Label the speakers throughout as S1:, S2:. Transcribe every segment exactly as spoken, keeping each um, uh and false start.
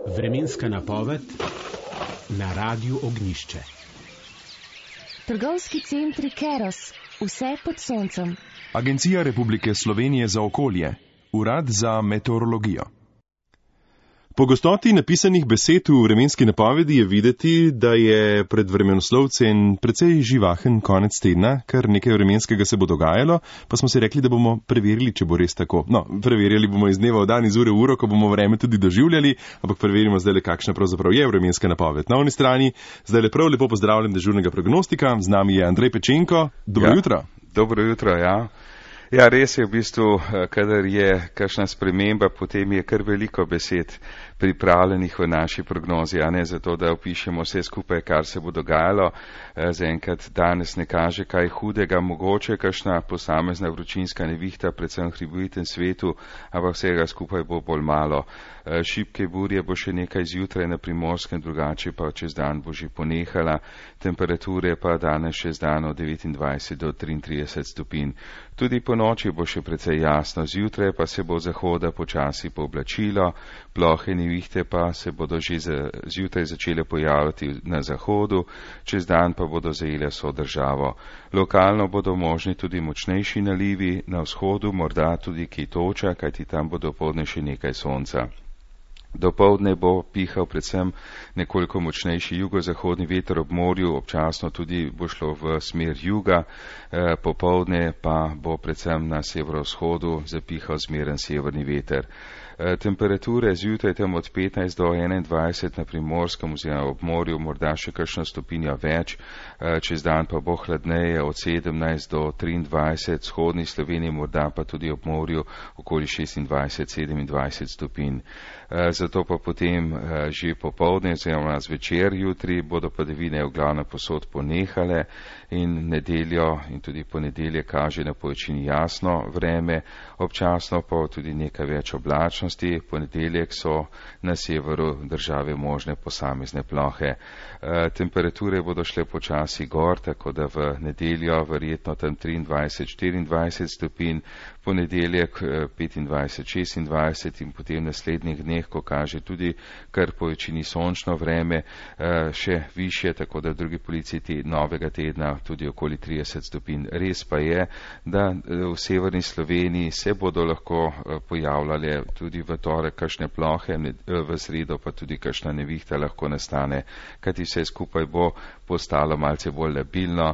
S1: Vremenska napoved na Radiu Ognjišče.
S2: Trgovski centri Keros, vse pod soncem.
S3: Agencija Republike Slovenije za okolje, Urad za meteorologijo. Po gostoti napisanih besed v vremenski napovedi je videti, da je pred vremenoslovcem precej živahen konec tedna, kar nekaj vremenskega se bo dogajalo, pa smo si rekli, da bomo preverili, če bo res tako. No, preverjali bomo iz dneva v dan, iz ure v uro, ko bomo vreme tudi doživljali, ampak preverimo zdaj le, kakšna pravzaprav je vremenska napoved. Na oni strani zdaj le prav lepo pozdravljam dežurnega prognostika, z nami je Andrej Pečenko. Dobro
S4: ja,
S3: jutro.
S4: Dobro jutro, ja. Ja, res je v bistvu, kadar je kakšna sprememba, potem je kar veliko besed pripravljenih v naši prognozi, a ne zato, da opišemo vse skupaj, kar se bo dogajalo. Zaenkrat danes ne kaže kaj hudega, mogoče kakšna posamezna vročinska nevihta, predvsem v hribovitem svetu, ampak vsega skupaj bo bolj malo. Šibke burje bo še nekaj zjutraj na Primorskem, drugače pa čez dan bo že ponehala. Temperature pa danes še z dan od devetindvajset do triintrideset stopinj. Tudi po noči bo še precej jasno, zjutraj pa se bo zahoda počasi pooblačilo, plohe nevihte pa se bodo že zjutraj začele pojavljati na zahodu, čez dan pa bodo zajele vso državo. Lokalno bodo možni tudi močnejši nalivi, na vzhodu morda tudi kaj toča, kajti tam bo dopoldne še nekaj sonca. Dopoldne bo pihal predvsem nekoliko močnejši jugozahodni veter ob morju, občasno tudi bo šlo v smer juga, e, popoldne pa bo predvsem na severovzhodu zapihal zmeren severni veter. E, temperature zjutraj tam od petnajst do enaindvajset na Primorskem oziroma ob morju, morda še kakšno stopinjo več, e, čez dan pa bo hladneje od sedemnajst do triindvajset, vzhodni Sloveniji morda pa tudi ob morju okoli šestindvajset sedemindvajset stopinj. E, zato pa potem e, že popoldne oziroma zvečer jutri bodo padavine v glavnem posod ponehale in nedeljo in tudi ponedelje kaže na povečini jasno vreme, občasno pa tudi nekaj več oblačnosti. Ponedeljek so na severu države možne posamezne plohe. E, temperature bodo šle počasi gor, tako da v nedeljo verjetno tam triindvajset štiriindvajset stopinj, ponedeljek petindvajset šestindvajset in potem naslednjih dneh, ko kaže tudi kar po večini sončno vreme, e, še više, tako da v drugi polovici te novega tedna tudi okoli trideset stopinj. Res pa je, da v severni Sloveniji se bodo lahko pojavljale tudi v torek kakšne plohe, v sredo pa tudi kakšna nevihta lahko nastane, kajti vse skupaj bo postalo malce bolj labilno,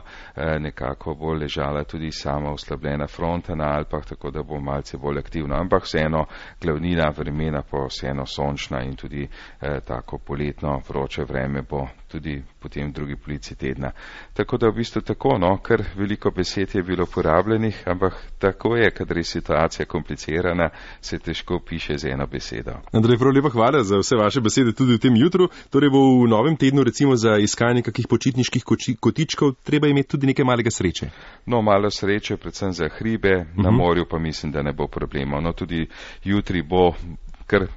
S4: nekako bo ležala tudi sama oslabljena fronta na Alpah, tako da bo malce bolj aktivno, ampak vseeno glavnina vremena pa vseeno sončna in tudi eh, tako poletno vroče vreme bo tudi potem v drugi polovici tedna. Tako da v bistvu tako, no, kar veliko besed je bilo porabljenih, ampak tako je, kadar je situacija komplicirana, se težko piše z eno besedo.
S3: Andrej, prav lepa hvala za vse vaše besede tudi v tem jutru. Torej bo v novem tednu recimo za iskanje kakih počitniških kotičkov treba imeti tudi nekaj malega sreče.
S4: No, malo sreče, predvsem za hribe, uh-huh. Na morju pa mislim, da ne bo problemov. No, tudi jutri bo kar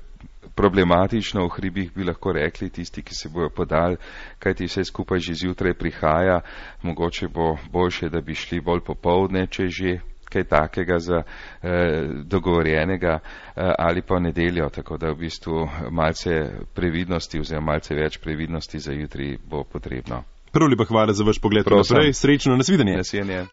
S4: problematično, v hribih bi lahko rekli tisti, ki se bojo podali, kajti vse skupaj že zjutraj prihaja, mogoče bo boljše, da bi šli bolj popoldne, če že kaj takega za eh, dogovorjenega eh, ali pa v nedeljo, tako da v bistvu malce previdnosti oziroma malce več previdnosti za jutri bo potrebno.
S3: Prav lepa hvala za vaš pogled naprej, srečno, nasvidenje.
S4: Nasvidenje.